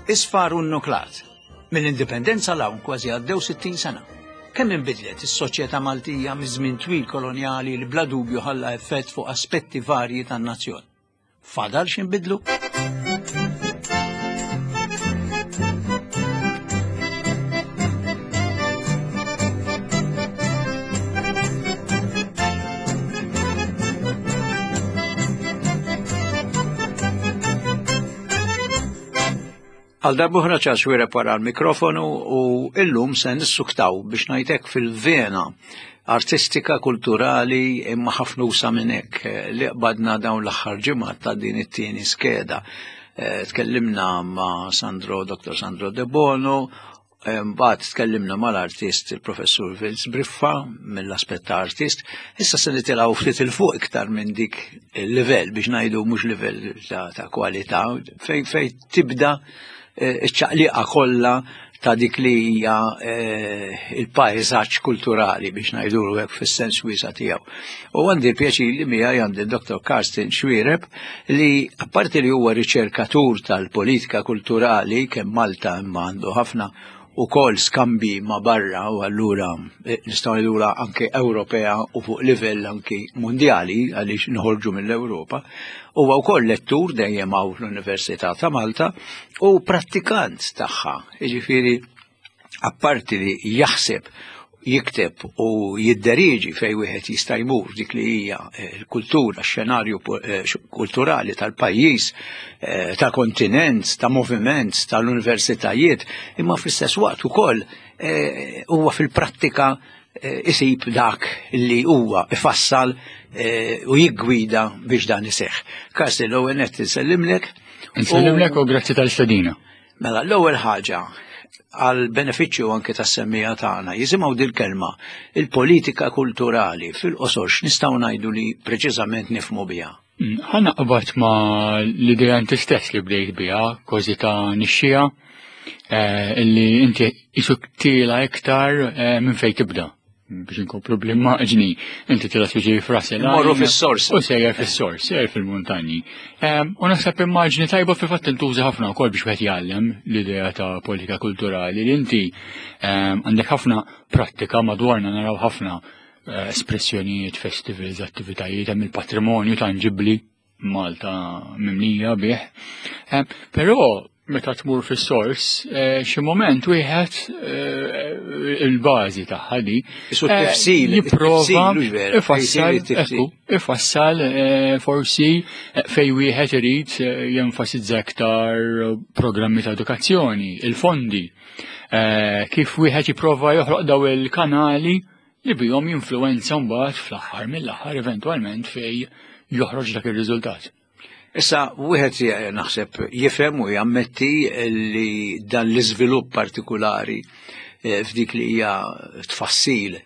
Isfar u nnuklat. Mill-Indipendenza 'l hawn kważi għaddew 60 sena. Kemm inbidlet is-soċjetà Maltija miż-żmien twil kolonjali li bla dubju ħalla effett fuq aspetti varji tan-nazzjon. Fadal x'inbidlu? Għal darbuħra ċas wiereb wara l-mikrofonu u illum se nissuktaw biex ngħidlek fil-vena artistika, kulturali imma ħafna usa minn hekk eh, li qbadna dawn l-aħħar ġimgħat ta' din it-tieni skeda. Eh, tkellimna ma' Sandro, Dr. Sandro De Bono, Mbagħad tkellimna mal-artist il-professur Vince Briffa mill-aspett ta' artist, issa se nitilgħu ftit il fuq iktar minn dik il-livell biex ngħidu mhux livell ta', ta kwalità fejn fej tibda eh, iċ-ċaqliqa kollha ta' dik li hija eh, il-pajżaġġ kulturali biex ngħidu hekk fis-sens wiesa' tiegħu. U għandi l-pjaċir li miegħi għandi Dr. Karsten Xuereb li apparti li huwa riċerkatur tal-politika kulturali kemm Malta imma għandu ħafna ukoll skambi ma' barra u allura eh, nistgħu ngħidula anke Ewropea u fuq livell anke mondjali għaliex nħorġu mill-Ewropa. Huwa wkoll lettur dejjem hawn fl-Università ta' Malta u prattikant tagħha, jiġifieri apparti li jaħseb jikteb u jidderieġi fej wieħed jista' jmur dik li hija eh, l-kultura, x-xenarju eh, kulturali tal-pajjiż, eh, ta' kontinent, ta' moviment, tal-universitajiet, imma fl-istess waqt ukoll huwa fil-prattika isib dak li huwa ifassal u jiggwida biex dan iseħħ. Karsten, l-ewwel nett insellimlek. Insellimlek u grazzi tal-istedina. Mela, l-ewwel ħaġa għal benefiċċju anke tas-semmija tagħna jisimgħu dil-kelma il-politika kulturali fil-qosor x'nistgħu ngħidu li preċiżament nifhmu biha. Mm, ħa naqbad ma l-idea inti stess li bdejt biha, kważi ta' nixxija, eh, illi inti isuk tila iktar eh, minn fejn tibda biex inkomplu bl-immaġni, inti tila tiġi frasi. Morru fis-sors. U sejjer fis-sors, sejjer fil-muntanji. U naħseb immaġni tajba fil-fatt tintuża ħafna wkoll biex wieħed jgħallem l-idea ta' politika kulturali li inti għandek ħafna prattika madwarna naraw ħafna eh, espressjonijiet, festivals, attivitajiet, hemm il-patrimonju tanġibli Malta mimlija bih. Eh, però meta tmur fis-sors, eh, xi moment wieħed eh, il-bażi tagħha di. Eh, jipprova ifassal, ifassal forsi fej wieħed irid jenfasizza aktar programmi ta' edukazzjoni, il-fondi, kif wieħed jipprova joħloq daw il-kanali li bihom jinfluwenza mbagħad fl-aħħar mill-aħħar eventwalment fej joħroġ dak ir-riżultat. Issa, wieħed naħseb jifhem u jammetti li dan l-iżvilupp partikulari eh, f'dik li hija tfassil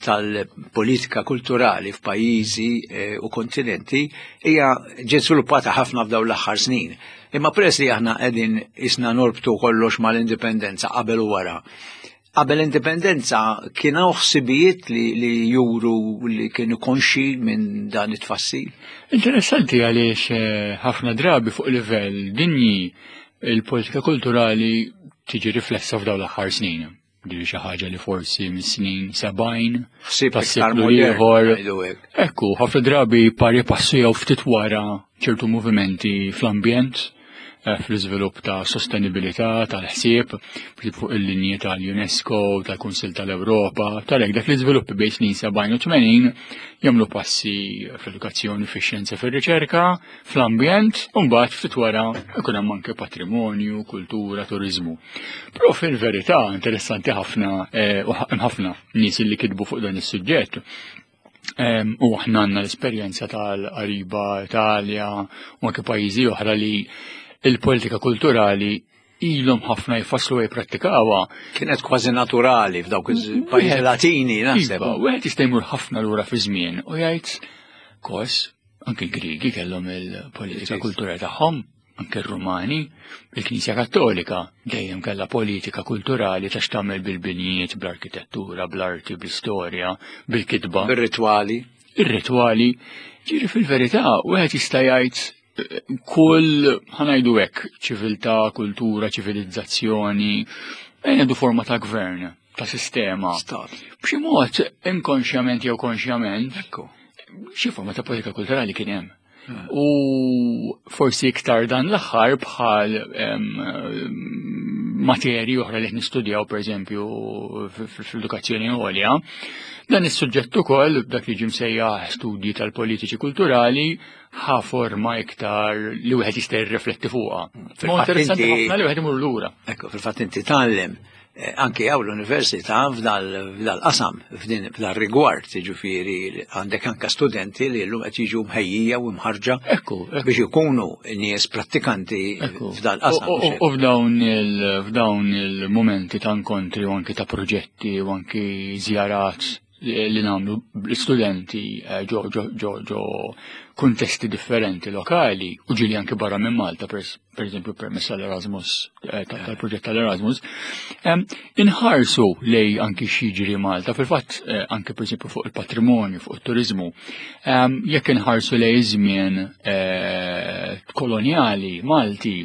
tal-politika kulturali f'pajjiżi eh, u kontinenti hija ġiet żviluppata ħafna f'dawn l-aħħar snin. Imma peress li aħna qegħdin isna norbtu kollox mal-indipendenza qabel u wara, Qabel l-indipendenza kien hawn ħsibijiet li, li juru li kienu konxi minn dan it-tfassil? Interessanti għaliex eh, ħafna drabi fuq livell dinji il-politika kulturali tiġi riflessa f'dawn l-aħħar snin. Di xi ħaġa li forsi mis-snin 70 ħsieb iktar ieħor. Ekku, ħafna drabi pari passu jew ftit wara ċertu movimenti fl-ambjent Eh, fl-iżvilupp ta' sostenibilità tal-ħsieb fuq il-linji tal-UNESCO, tal-Kunsill tal-Ewropa, tal-hekk dak l-iżviluppi bejn snin 70 u 80 jagħmlu passi fl-edukazzjoni, fix-xjenza, fir-riċerka, fl-ambjent, u mbagħad ftit wara ikun hemm anke patrimonju, kultura, turiżmu. Però fil-verità interessanti ħafna eh, u ħafna nies li kitbu fuq dan is-suġġett U aħna għandna l-esperjenza tal-qariba Italja u anke pajjiżi oħra li il-politika kulturali ilhom ħafna jfasslu u jipprattikawha. Kienet kważi naturali f'dawk il-pajjiżi Latini, naħseb. Iva, wieħed jista' jmur ħafna lura fi żmien u jgħid kos anke l-Griegi kellhom il-politika kulturali tagħhom. Anke r-Rumani, il-Knisja Kattolika dejjem kellha politika kulturali ta' x'tagħmel bil-binjiet, bl-arkitettura, bl-arti, bl-istorja, bil-kitba. Bir-ritwali. Ir-ritwali. Ġieri fil-verità, wieħed jista' jgħid Kull, ħa ngħidu hekk, ċiviltà, kultura, ċivilizzazzjoni, ngħidu forma ta' gvern, ta' sistema. Stat. B'xi mod inkonxjament jew konxjament, Ekku. xi forma ta' politika kulturali kien hemm. U forsi iktar dan l-aħħar bħal materji oħra li qed nistudjaw pereżempju fl-edukazzjoni għolja, dan is-suġġett ukoll dak li ġie msejjaħ studji tal-politiċi kulturali ħa forma iktar li wieħed jista' jirrifletti fuqha. Ma interessanti ħafna li wieħed imur lura. Ekku, fil-fatt inti tgħallem anke hawn l-università f'dal-qasam, f'dal rigward, jiġifieri għandek anke studenti li llum qed jiġu mħejjija u mħarġa biex ikunu nies prattikanti f'dal-qasam. U f'dawn il-momenti ta' inkontri u anke ta' proġetti u anke żjarat li nagħmlu l-istudenti ġo ġo ġo ġo kuntesti differenti lokali u ġieli anke barra minn Malta, per eżempju permezz tal-Erasmus, tal-proġett tal-Erasmus, inħarsu lej anki x'jiġri Malta, fil-fatt anke per eżempju fuq il-patrimonju, fuq il-turizmu, jekk inħarsu lej żmien koloniali Malti,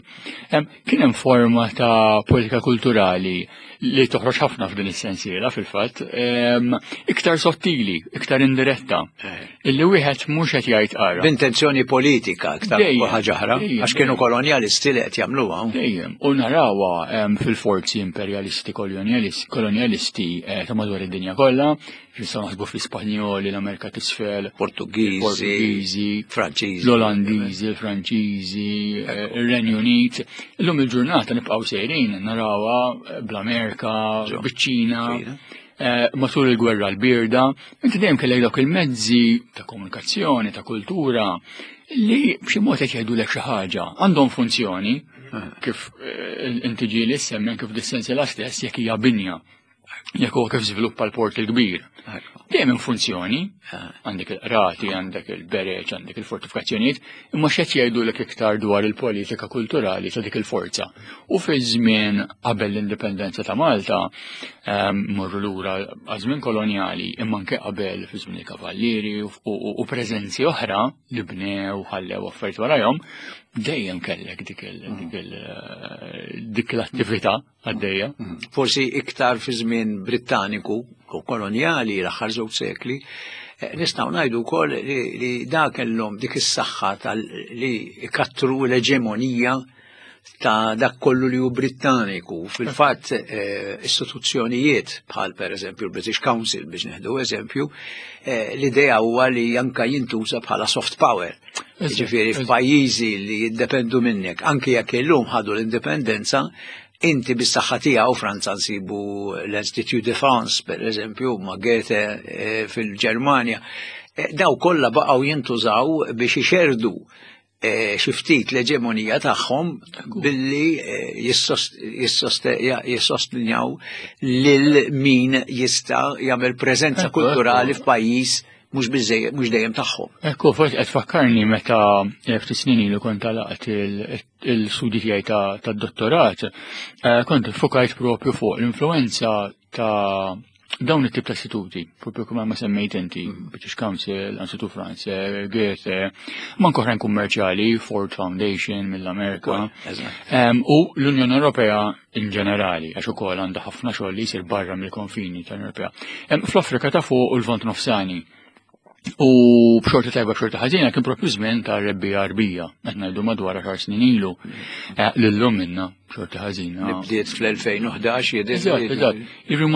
kien hemm forma ta' politika kulturali li toħroġ ħafna f'din is-sensiela fil-fatt, iktar sottili, iktar indiretta. Illi wieħed mhux qed jgħid ara. B'intenzjoni politika iktar ħaġa oħra, għax kienu kolonjalisti li qed jagħmluha. Dejjem, u narawha fil-forzi imperjalisti kolonjalisti ta' madwar id-dinja kollha, nistgħu naħsbu fl-Ispanjoli, l-Amerika t'Isfel, Portugiżi, Portugiżi, Franċiżi, l-Olandiżi, il-Franċiżi, ir-Renju Unit. Illum il-ġurnata nibqgħu sejrin narawha bl-Amerika, biċ-Ċina, matul il-gwerra l-birda, inti dejjem kellek dawk il-mezzi ta' komunikazzjoni, ta' kultura, li b'xi mod qed jgħidulek xi ħaġa, għandhom funzjoni, kif inti ġieli semmen kif dis-sensiela stess jekk hija binja, jekk huwa kif żviluppa l-port il-kbir. Dejjem hemm funzjoni, għandek il-qrati, għandek il-bereġ, għandek il-fortifikazzjonijiet, imma x'qed jgħidulek iktar dwar il-politika kulturali ta' dik il-forza. U fi żmien qabel l-indipendenza ta' Malta, morru lura għaż-żmien kolonjali, imma anke qabel fi żmien il-kavallieri u preżenzi oħra li bnew ħallew affarijiet warahom, dejjem kellek dik l-attività għaddejja. Forsi iktar fi żmien Brittaniku u kolonjali l-aħħar żewġ sekli, nistgħu ngħidu wkoll li dak kellhom dik is-saħħa tal li ikattru l-eġemonija ta' dak kollu li hu Brittaniku. Fil-fatt istituzzjonijiet bħal per eżempju l-British Council, biex neħdu eżempju, l-idea huwa li anka jintuża bħala soft power. Ġifieri f'pajjiżi li jiddependu minnek, anki jekk illum ħadu l-indipendenza, inti bis-saħħa tiegħu Franza nsibu l-Institut de France, per eżempju, ma' Goethe fil-Ġermanja. Daw kollha baqgħu jintużaw biex ixerdu xi ftit l-eġemonija tagħhom billi jissostinjaw lil min jista' jagħmel preżenza kulturali f'pajjiż mhux biżejjed, mhux dejjem tagħhom. Ekku, forsi qed tfakkarni meta ftit snin ilu kont għalaqt il-studi tiegħi tad-dottorat, kont fukajt propju fuq l-influenza ta' dawn it-tip ta' istituti, propju kemm ma semmejt inti, British Council, Institut Français, Goethe, ma oħrajn kummerċjali, Ford Foundation mill-Amerika, u l-Unjoni Ewropea in ġenerali, għax ukoll għandha ħafna xogħol li jsir barra mill-konfini tal-Unjoni Ewropea. Fl-Afrika ta' fuq u l-Lvant Nofsani. U b'xorta tajba b'xorta ħażina kien propju żmien ta' Rebbiegħa Għarbija, qed ngħidu madwar 10 snin ilu, lillum minna b'xorta ħażina. Li bdiet fl-2011 jidher. Eżatt, eżatt. Jiġri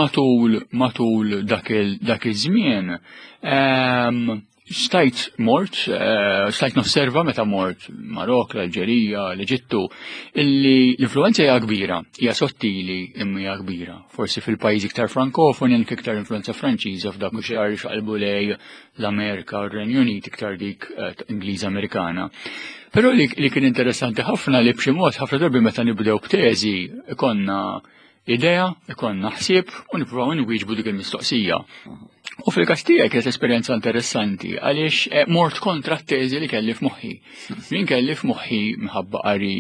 matul dak iż-żmien, stajt mort, stajt nosserva meta mort Marok, l-Alġerija, l-Eġittu, illi l-influenza hija kbira, hija sottili imma hija kbira. Forsi fil-pajjiżi iktar frankofoni anke iktar influenza Franċiża f'dak iktar xaqalbu lej l-Amerika u r-Renju Unit iktar dik Ingliża Amerikana. Però li kien interessanti ħafna li b'xi mod ħafna drabi meta nibdew b'teżi ikonna idea, ikonna ħsieb u nippruvaw nwieġbu dik il-mistoqsija. U fil-każ tiegħi kienet esperjenza interessanti għaliex eh, mort kontra t-teżi li kelli f'moħħi. Min kelli f'moħħi minħabba qari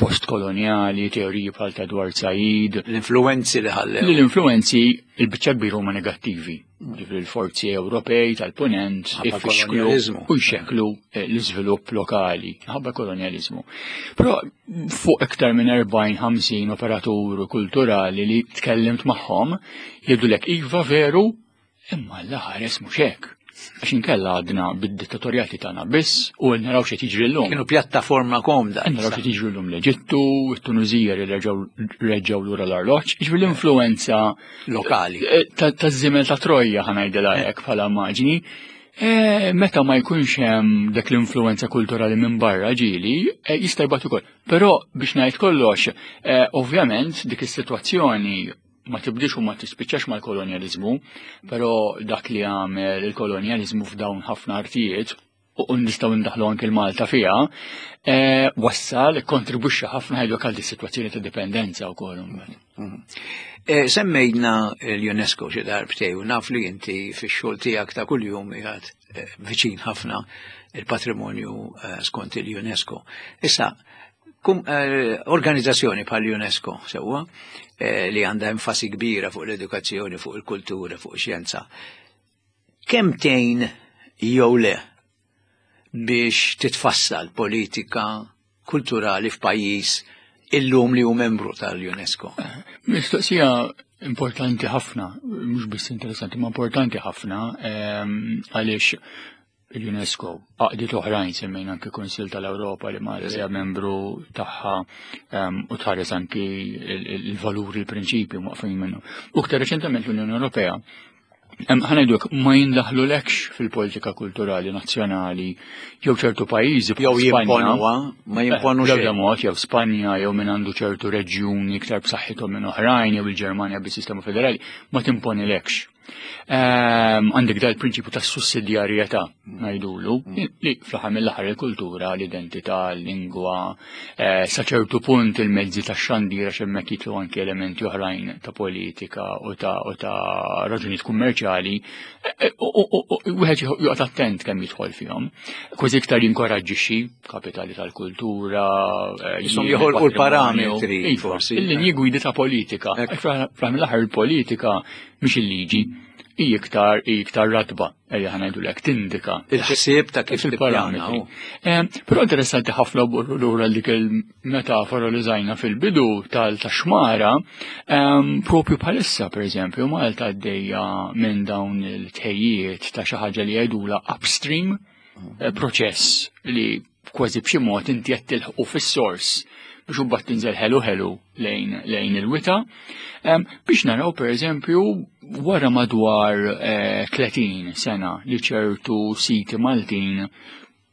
postkoloniali, teoriji bħal ta' Edward Said. L-influenzi li ħallew. L-influenzi il-biċċa kbira huma negattivi. Ġifieri l-forzi Ewropej tal-punent ifixklu u jxekklu eh, l-iżvilupp lokali ħabba kolonjaliżmu. Però fuq iktar minn 40-50 operatur kulturali li tkellimt magħhom jgħidulek iva veru imma l-ħares mhux hekk. Għax inkella għadna bid-dittatorjati tagħna biss u naraw xi jiġri llum. Kienu pjattaforma komda. Naraw xi jiġri llum l-Eġittu, it-Tunizija li reġgħu lura l-arloġġ, jiġri l-influenza lokali. Eh, ta' żimel ta' Trojja ħanajdilha eh. hekk bħala immaġni. Eh, meta ma jkunx hemm dak l-influenza kulturali minn barra ġieli, jista' jbagħat ukoll. Però biex ngħid kollox, ovvjament dik is-sitwazzjoni ma tibdix u ma tispiċċax mal-kolonjaliżmu, però dak li għamel il-kolonjaliżmu f'dawn ħafna artijiet u nistgħu ndaħlu anke l-Malta fiha, eh, wassal kontribwixxa ħafna ħajdu għal situazzjoni ta' dipendenza wkoll imbagħad. Mhm. Eh, semmejna l-UNESCO xi darbtej u naf li inti fix-xogħol tiegħek ta' kuljum qiegħed eh, viċin ħafna il-patrimonju skont il-UNESCO. Issa, organizzazzjoni bħal UNESCO sewwa li għandha enfasi kbira fuq l-edukazzjoni, fuq il-kultura, fuq ix-xjenza. Kemm tgħin jew le biex titfassal politika kulturali f'pajjiż illum li hu membru tal-UNESCO? Mistoqsija importanti ħafna, mhux biss interessanti, ma importanti ħafna ehm, għaliex il-UNESCO, għaqdiet oħrajn semmejna anki Kunsill tal-Ewropa li Malta hija membru tagħha ehm, u tħares anki il-valuri, il-prinċipji waqfin minnu. U iktar reċentement l-Unjoni Ewropea Ħanajduk, ma jindaħlulekx fil-politika kulturali nazzjonali jew ċertu pajjiżi jew jimponuha, ma eh, jimponu xejn. mod jew Spanja jew min għandu ċertu reġjuni iktar b'saħħithom minn oħrajn jew il-Ġermanja bis-sistema federali, ma timponilekx. Ehm, għandek dal prinċipju ta' sussidjarjetà ngħidulu li fl-aħħar mill-aħħar il-kultura, l-identità, l-lingwa, eh, sa ċertu punt il-mezzi ta' xandira x'hemmhekk jitlu anki elementi oħrajn ta' politika u ta' u ta' raġunijiet kummerċjali, eh, eh, wieħed joqgħod attent kemm jidħol fihom. Kważi iktar jinkoraġġixxi kapitali tal-kultura, jisom joħolqu l-parametri iva, forsi. Il-linji gwidi ta' politika. Fl-aħħar mill-aħħar il-politika mhix il-liġi, hi iktar hi iktar ratba, ejja ħa ngħidulek tindika. Il-ħsieb ta' kif il-parametri. Eh, però interessanti ħafna borru lura dik il-metafora li żajna fil-bidu tal-taxmara, ehm, propju bħalissa pereżempju Malta għaddejja minn dawn il-tħejjiet ta' xi ħaġa li jgħidula upstream, eh, proċess li kważi b'xi mod inti qed tilħqu fis-sors biex imbagħad tinżel ħelu ħelu lejn, lejn il-wita. Biex naraw pereżempju wara madwar 30 eh, sena li ċertu siti Maltin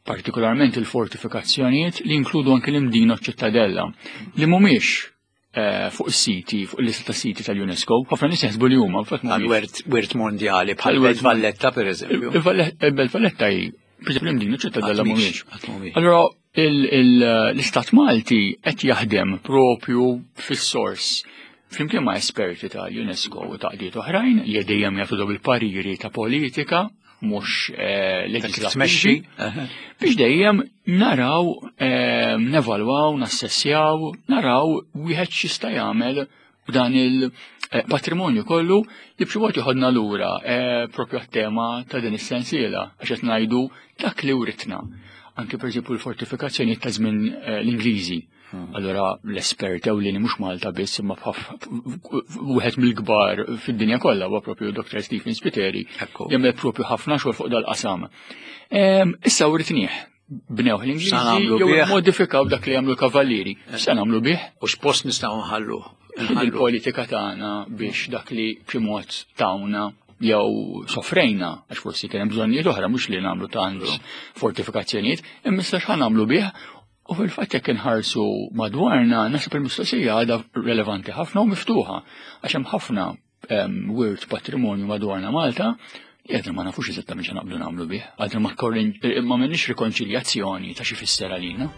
partikolarment il-fortifikazzjonijiet li jinkludu anke l-Imdina ċittadella li mhumiex Eh, fuq is-siti, fuq il-lista ta' siti tal-UNESCO, ħafna nies jaħsbu li huma fatt Għal wirt mondjali bħal Belt Valletta pereżempju. Il-Belt Valletta hi pereżempju l-Imdina ċittadella mhumiex. Allora l-Istat Malti qed jaħdem propju fis-sors flimkien ma' esperti tal-UNESCO u taqdiet oħrajn li dejjem jagħtu il-pariri ta' politika mhux eh, leġislattivi biex dejjem naraw eh, nevalwaw, nassessjaw, naraw wieħed x'jista' jagħmel b'dan il-patrimonju kollu li b'xi mod joħodna lura eh, propju għat-tema ta' din is-sensiela għax qed ngħidu dak li writna. Anke pereżempju l-fortifikazzjoni ta' żmien l-Ingliżi. Hmm. Allora l-espert ewlieni mhux Malta biss imma wieħed mill-kbar fid-dinja kollha huwa propju Dr. Stephen Spiteri jagħmel propju ħafna xogħol fuq dal-qasam. Ehm, issa writnieh bnew l-Ingliżi jew modifikaw dak li jagħmlu l-kavallieri. Eh. Se nagħmlu bih? U x'post nistgħu nħallu? Il-politika tagħna biex dak li b'xi mod tawna jew sofrejna, għax forsi kien hemm bżonnijiet oħra mhux li nagħmlu tant fortifikazzjonijiet, imma issa x'ħa nagħmlu bih U fil-fatt jekk inħarsu madwarna, naħseb il-mistoqsija għadha relevanti ħafna u miftuħa, għax hemm ħafna ehm, wirt patrimonju madwarna Malta li għadna ma nafux eżattament x'għan naqbdu nagħmlu bih, għadna ma ma m'għandniex rikonċiljazzjoni ta' xi fisser għalina.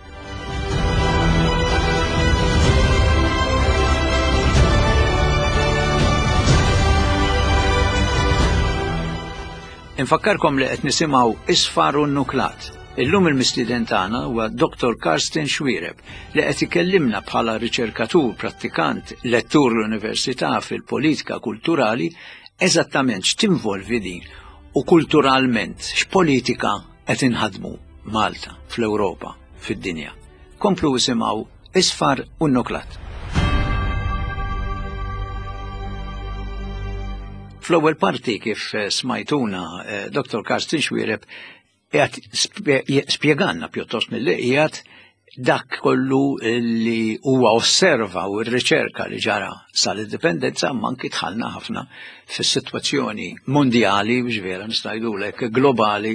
Infakkarkom li qed nisimgħu Isfar u Nuklat. Illum il-mistieden tagħna huwa Dr. Karsten Xuereb li qed ikellimna bħala riċerkatur, prattikant, lettur l-Università fil-politika kulturali eżattament x'tinvolvi din u kulturalment x'politika qed inħadmu Malta, fl-Ewropa, fid-dinja. Komplu isimgħu Isfar u Nuklat. Fl-ewwel parti kif eh, smajtuna eh, Dr. Karsten Xuereb qiegħed spjeganna pjuttost milli qiegħed dak kollu li huwa osserva u r-riċerka li ġara sal-indipendenza imma anki dħalna ħafna fis-sitwazzjoni mondjali biex vera nista' globali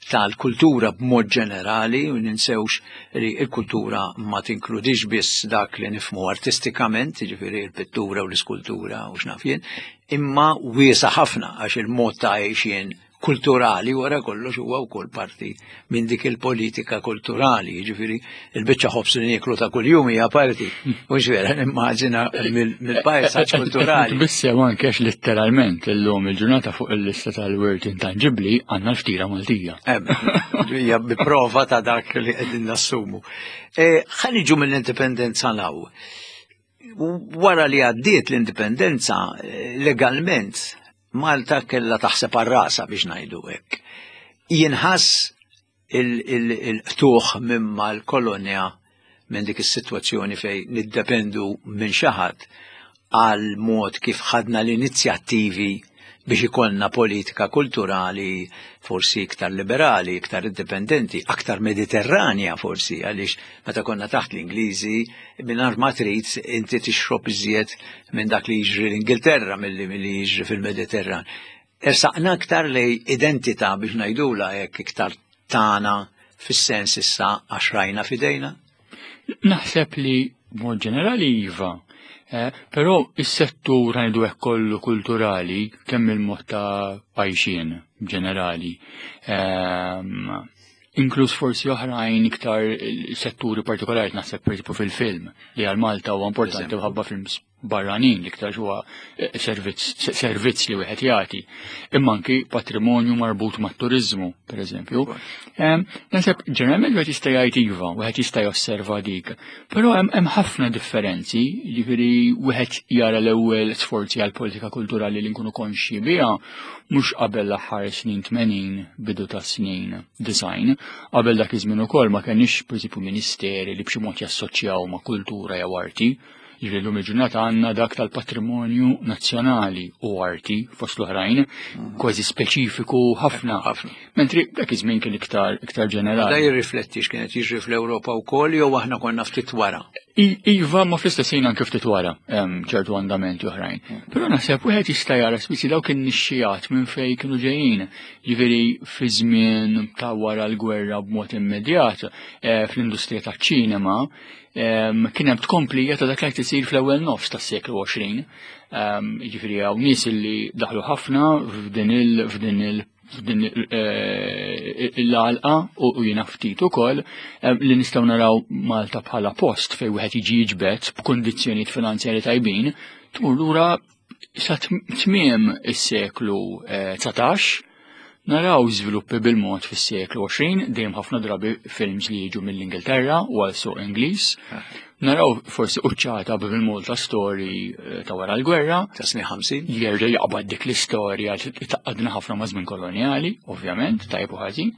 tal-kultura b'mod ġenerali u ninsewx li l-kultura ma tinkludix biss dak li nifmu artistikament, jiġifieri l-pittura u l-iskultura u x'naf jien, imma wiesa ħafna għax il-mod ta' għejxien kulturali wara kollox huwa wkoll parti minn dik il-politika kulturali, jiġifieri il-biċċa ħobż li nieklu ta' kuljum hija parti. Mhux vera nimmaġina mill-pajsaġġ kulturali. Bissew anke għax letteralment illum il-ġurnata fuq il-lista tal-wirt intanġibbli għandna l-ftira Maltija. Hija bi prova ta' dak li qegħdin nassumu. E, ħa niġu mill-indipendenza law. Wara li għaddiet l-indipendenza, eh, legalment Malta kellha taħseb għal rasha biex ngħidu hekk. Jinħass il-qtuħ minn mal-kolonja minn dik is-sitwazzjoni fejn niddependu minn xi ħadd għal mod kif ħadna l-inizjattivi biex ikollna politika kulturali forsi iktar liberali, iktar indipendenti, aktar mediterranja forsi, għaliex meta konna taħt l-Ingliżi, mingħajr ma trid inti tixrob iżjed minn dak li jiġri l-Ingilterra milli milli jiġri fil-Mediterran. Ersaqna aktar lej identità biex ngħidula hekk iktar tagħna fis-sens issa għax rajna f'idejna? Naħseb li mod ġenerali iva, eh, però is-settur ngħidu hekk kollu kulturali kemm il-mod ta' għajxien ġenerali. Ehm, inkluż forsi oħrajn iktar setturi partikolari naħseb per fil-film li għal Malta huwa importanti ħabba films barranin l-iktar huwa eh, servizz li wieħed jagħti. Imma anki patrimonju marbut mat-turiżmu, pereżempju. Naħseb ġeneralment wieħed jista' jgħid iva, wieħed jista' josserva dik. Però hemm ħafna differenzi, jiġifieri wieħed jara l-ewwel sforzi għal politika kulturali li nkunu konxji biha mhux qabel l-aħħar snin 80 bidu ta' snin design. Qabel dak iż-żmien ukoll ma kenniex pereżempju ministeri li b'xi mod jassoċjaw ma' kultura jew arti. Jiġifieri llum il-ġurnata għandna dak tal-patrimonju nazzjonali u arti fost l-oħrajn, mhm. kważi speċifiku ħafna. ħafna. Mentri dak iż-żmien kien iktar iktar ġenerali. Da jirrifletti x'kienet jiġri fl-Ewropa wkoll jew aħna konna ftit wara. Iva, ma fl-istess ħin anke ftit wara ċertu andamenti oħrajn. Mhm. Però naħseb wieħed jista' jara spiċi dawk in-nixxijat minn fejn kienu ġejjin. Jiġifieri fi żmien ta' wara l-gwerra b'mod immedjat eh, fl-industrija taċ-ċinema Kien hemm tkomplija ta' dak li qed isir fl-ewwel nofs tas-seklu 20. Jiġifieri hawn nies li daħlu ħafna f'din il f'din il f'din eh, l-għalqa u jiena ftit ukoll li nistgħu naraw Malta bħala post fejn wieħed jiġi jiġbed b'kundizzjonijiet finanzjari tajbin tmur lura sa tmiem is-seklu 19 eh, naraw żviluppi bil-mod fis-seklu 20 dejjem ħafna drabi films li jiġu mill-Ingilterra u għal suq Ingliż. Naraw forsi uċċata bil-Malta Story eh, ta' wara l-gwerra. Ta' snin 50. Jerġa' jaqbad dik l-istorja taqadna ħafna ma' żmien kolonjali, ovvjament, tajb u ħażin.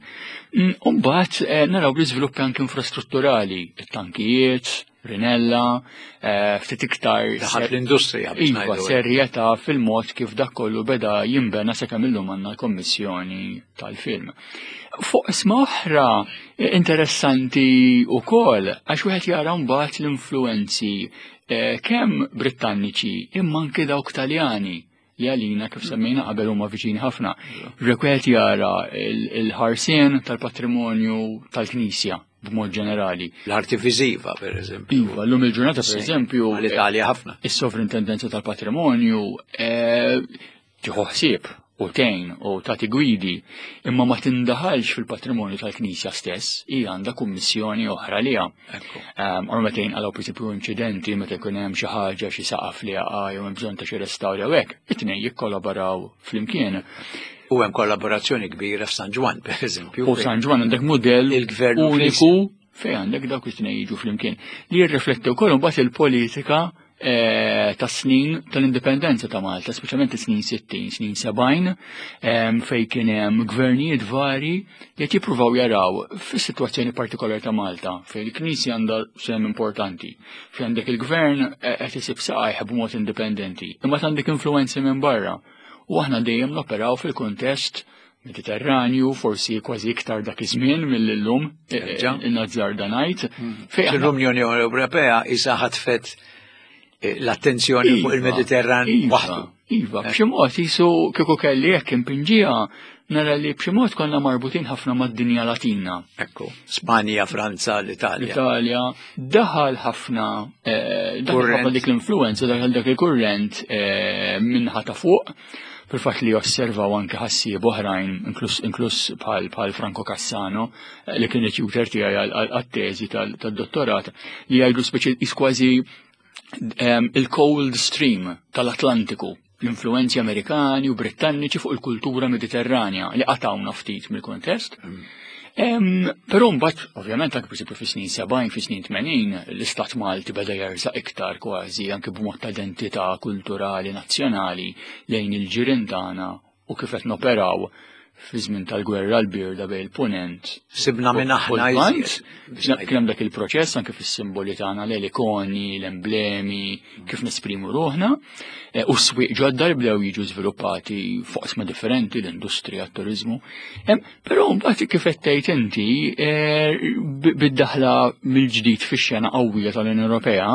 Mm, u mbagħad eh, naraw l-iżviluppi anke infrastrutturali, it-tankijiet, Rinella, eh, ftit iktar. Daħal fl-industrija. Iva, serjetà fil-mod kif dak kollu beda jinbena sakemm illum għandna l-kommissjoni tal-film. Fuq isma oħra eh, interessanti wkoll għax wieħed jara mbagħad l-influenzi eh, kemm Brittanniċi imma anke dawk Taljani li għalina kif semmejna qabel huma viċini ħafna. Rekwet jara il-ħarsien tal-patrimonju tal-Knisja b'mod ġenerali. L-arti viżiva, per eżempju. Iva, l-lum il-ġurnata, per eżempju. L-Italja ħafna. Is-sovrintendenza tal-patrimonju eh, tieħu ħsieb u tgħin u tagħti gwidi, imma ma tindaħalx fil-patrimonju tal-Knisja stess, hija għandha kummissjoni oħra liha. Ehm, Or meta jinqalgħu pereżempju inċidenti meta jkun hemm xi ħaġa xi saqaf li jaqa' jew hemm bżonn ta' xi restawr jew hekk, it-tnejn jikkollaboraw flimkien. U hemm kollaborazzjoni kbira f'San Ġwann, per eżempju. U San Ġwann għandek mudell il-gvern uniku fejn għandek dawk it-tnejn jiġu flimkien li jirrifletti wkoll imbagħad il-politika eh, ta' snin tal-indipendenza ta' Malta, speċjalment snin 60, snin 70, fejn kien hemm gvernijiet vari li qed jippruvaw jaraw fis-sitwazzjoni partikolari ta' Malta, fejn il-Knisja għandha sehem importanti, fejn għandek il-gvern eh, qed isib saqajh b'mod indipendenti, imma għandek influenzi minn barra. U aħna dejjem noperaw fil-kuntest Mediterranju, forsi kważi iktar dak iż-żmien mill-lum, eh, eh, nazzarda ngħid. Hmm. L-Unjoni Ewropea isa ħatfet eh, l-attenzjoni fuq iva, il-Mediterran iva, waħdu. Iva, b'xi mod jisu kieku kelli hekk impinġija nara li b'xi mod konna marbutin ħafna mad-dinja Latina. Ekku, Spanja, Franza, l-Italja. L-Italja, daħal ħafna daħal ħafna dik l-influenza, daħal dak il-kurrent minħa ta' fuq fil-fatt li osservaw anke ħassieb oħrajn, inkluż bħal bħal Franco Cassano, eh, li kien it-tutor tiegħi għat-teżi tad-dottorat, li jgħidu speċi kważi ehm, il-cold stream tal-Atlantiku, l-influenzi Amerikani u Brittanniċi fuq il-kultura Mediterranja li qatawna ftit mill-kontest. Mm. Però mbagħad, ovvjament anke pereżempju fis-snin 70, fis-snin 80, l-Istat Malti beda jerżaq iktar kważi anke b'mod ta' identità kulturali nazzjonali lejn il-ġirien tagħna u kif qed noperaw fi żmien tal-gwerra l-birda bejn il-punent. Sibna minn aħna Kien hemm dak il-proċess anke fis-simboli tagħna l-ikoni, l-emblemi, kif nesprimu ruħna, eh, u s-swieq ġodda li bdew jiġu żviluppati fuq differenti, l-industrija, t-turizmu. Però mbagħad kif qed tgħid inti eh, bid-daħla mill-ġdid fix-xena qawwija tal-Unjoni Ewropea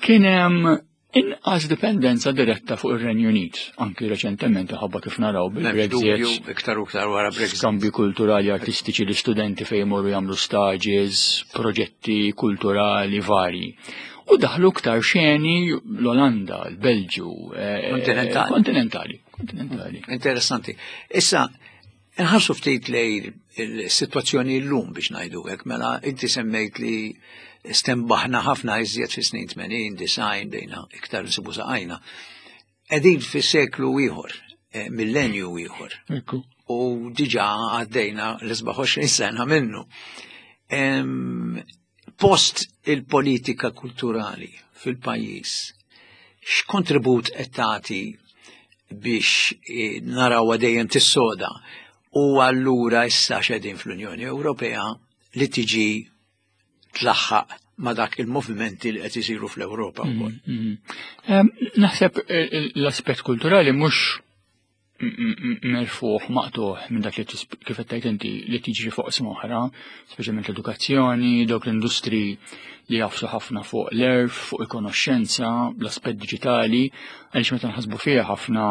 kien hemm inqas dipendenza diretta fuq ir-Renju Unit, anki reċentement ħabba kif naraw bil-Brexit. Iktar u iktar wara Brexit. Skambi kulturali artistiċi li studenti fejn jmorru jagħmlu stages, proġetti kulturali varji. U daħlu iktar xeni l-Olanda, l-Belġu. Eh, kontinentali. Kontinentali. Kontinentali. Interessanti. Issa, Nħarsu ftit lej il-situazzjoni l-lum biex najdu hekk, mela inti semmejt li stembaħna ħafna iżjed fi snin 80, design, bejna iktar nsibu saqajna. Qegħdin fi seklu ieħor, eh, millenju ieħor. U diġà għaddejna l-27 sena minnu. Post il-politika kulturali fil-pajjiż, x'kontribut qed tagħti biex eh, narawha dejjem tissoda u allura issa xedin fl-Unjoni Ewropea li tiġi tlaħħaq ma dak il-movimenti li qed isiru fl-Ewropa wkoll. Mm, mm. Naħseb eh, l-aspett kulturali mhux merfuħ maqtuħ minn dak li kif qed tgħid inti li tiġri fuq oħra, speċjalment l-edukazzjoni, dawk l-industri li jafsu ħafna fuq l-erf, fuq il-konoxxenza, l-aspett diġitali, għaliex meta nħasbu fiha ħafna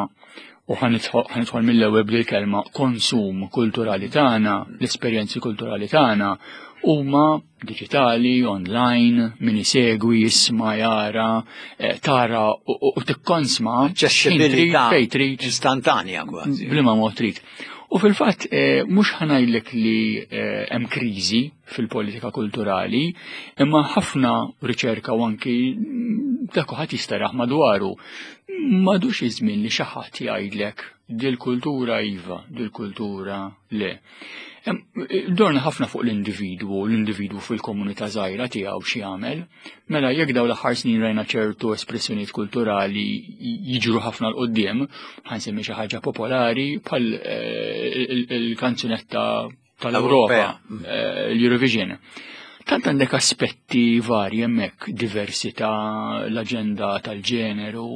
u ħanidħol mill-ewwel bil-kelma konsum kulturali tagħna, l-esperjenzi kulturali tagħna huma digitali, online, min isegwi, jisma, jara, eh, tara u tikkonsma aċċessibilità fejn trid. Instantanja kważi. Bliema mod trid. U fil-fatt eh, mhux ħanajlek li eh, hemm kriżi fil-politika kulturali, imma ħafna riċerka u anki mm, dak ħadd jisteraħ madwaru. Madux iż-żmien li xi ħadd jgħidlek dil-kultura iva, dil-kultura le. Dorna ħafna fuq l-individwu, l-individwu fil-komunità żgħira tiegħu xi jagħmel. Mela jekk dawn l-aħħar snin rajna ċertu espressjonijiet kulturali jiġru ħafna l qudiem ħansemmi xi ħaġa popolari bħal eh, il-kanzunetta tal-Ewropa, eh, l-Eurovision. Tant għandek aspetti varji hemmhekk, diversità, l-aġenda tal-ġeneru,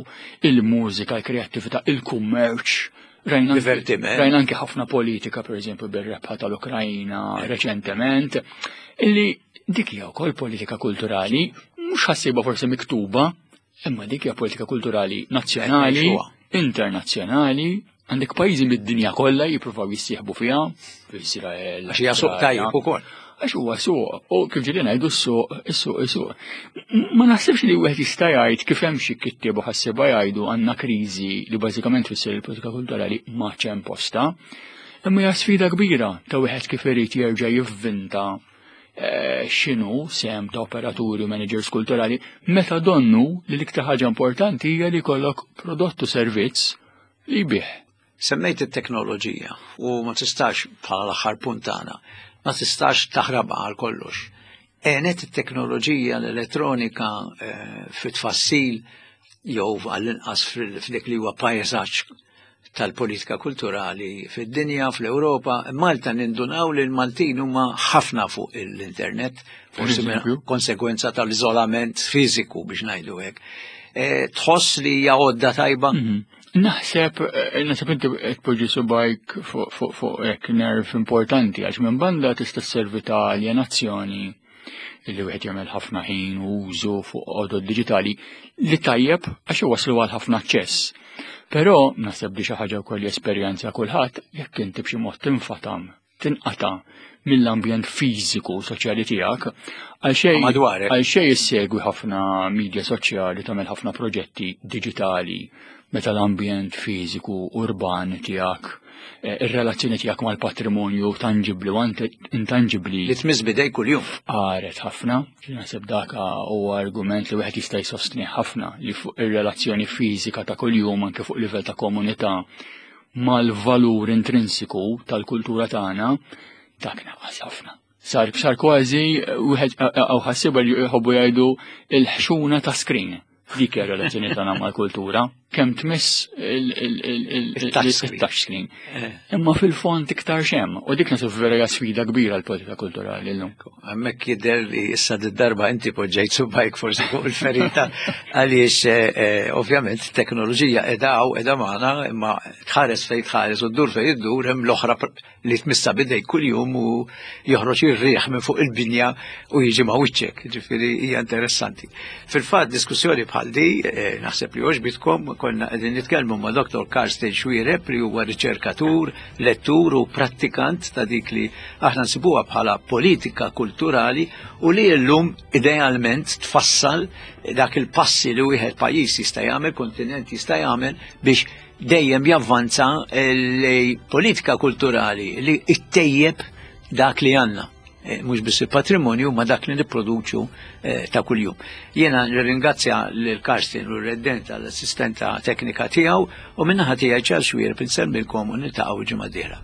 il-mużika, il-kreattività, il-kummerċ, Rajna Divertiment. Rajna anke ħafna politika, per eżempju, bir-rebħa tal-Ukrajina reċentement, illi dik hija wkoll politika kulturali, mhux ħassiba forsi miktuba, imma dik hija politika kulturali nazzjonali, internazzjonali, għandek pajjiżi mid-dinja kollha jippruvaw jissieħbu fiha, Israel. Għax hija suq tajjeb ukoll. Għax huwa suq, u kif ġieli ngħidu s-suq, is-suq, is-suq. Ma naħsibx li wieħed jista' jgħid kif hemm xi kittieb u ħassieba jgħidu għandna kriżi li bażikament tfisser il-politika kulturali ma hemm posta. Imma hija sfida kbira ta' wieħed kif irid jerġa' jivvinta eh, x'inhu sehem ta' operaturi u managers kulturali meta donnu li l-iktar ħaġa importanti hija li jkollok prodott u servizz li jbih. Semmejt it-teknoloġija u ma tistax bħala l-aħħar punt tagħna, ma tistax taħrabha għal kollox. Għenet it-teknoloġija l-elettronika eh, fit-tfassil jew għall-inqas f'dik li huwa pajsaġġ tal-politika kulturali fid-dinja, fl-Ewropa. Malta nindunaw li l-Maltin huma ħafna fuq l-internet, forsi konsegwenza tal-iżolament fiżiku biex ngħidu hekk. Eh, tħoss li hija għodda tajba? Mhm. Naħseb, eh, naħseb inti qed tpoġġi subajk fuq hekk nerv importanti għax minn banda tista' sservi ta' aljenazzjoni li wieħed jagħmel ħafna ħin u użu fuq għodod diġitali li tajjeb għax iwasslu għal ħafna aċċess. Però naħseb li xi ħaġa wkoll jesperjenza kulħadd jekk inti b'xi mod tinfatam tinqata' mill-ambjent fiżiku soċjali tiegħek għal xejn għal xejn issegwi ħafna media soċjali tagħmel ħafna proġetti diġitali meta l-ambjent fiżiku urban tiegħek eh, ir-relazzjoni tiegħek mal-patrimonju tanġibli u intanġibli. Li tmiss bidej kuljum. Qaret ħafna, naħseb dak huwa argument li wieħed jista' jsostni ħafna li fuq ir-relazzjoni fiżika ta' kuljum anke fuq livell ta' komunità mal-valur intrinsiku tal-kultura tagħna dak naqas ħafna. Sar sar kważi wieħed għaw ħassiba li jħobbu jgħidu il-ħxuna ta' screen. Dik hija relazzjoni tagħna mal-kultura, kemm tmiss il-touch screen. Eh. Imma fil-fond iktar xem, u dik nasib vera hija sfida kbira l-politika kulturali llum. Hemmhekk jidher li issa d-darba inti poġġejt subajk forsi fuq il-ferita għaliex eh, eh, ovvjament teknoloġija qiegħda hawn qiegħda magħna imma tħares fejn tħares u ddur fejn iddur hemm l-oħra li tmissa bidej kuljum u joħroġ ir-riħ minn fuq il-binja u jiġi ma' wiċċek, ġifieri hija interessanti. Fil-fatt diskussjoni bħal di, eh, naħseb li għoġbitkom, konna qegħdin nitkellmu ma' Dr. Karsten Xuereb li huwa riċerkatur, lettur u prattikant ta' dik li aħna nsibuha bħala politika kulturali u li llum idealment tfassal dak il-passi li wieħed pajjiż jista' jagħmel, kontinent jista' jagħmel biex dejjem javvanza li politika kulturali li ttejjeb dak li għandna. Eh, mhux biss il-patrimonju ma dak li nipproduċu eh, ta' kuljum. Jiena nirringrazzja lil Karsten u r-reddent għall-assistenta teknika tiegħu u minnaħa tiegħi Charles Xuereb insellmilkom u niltaqgħu ġimgħa dieħla.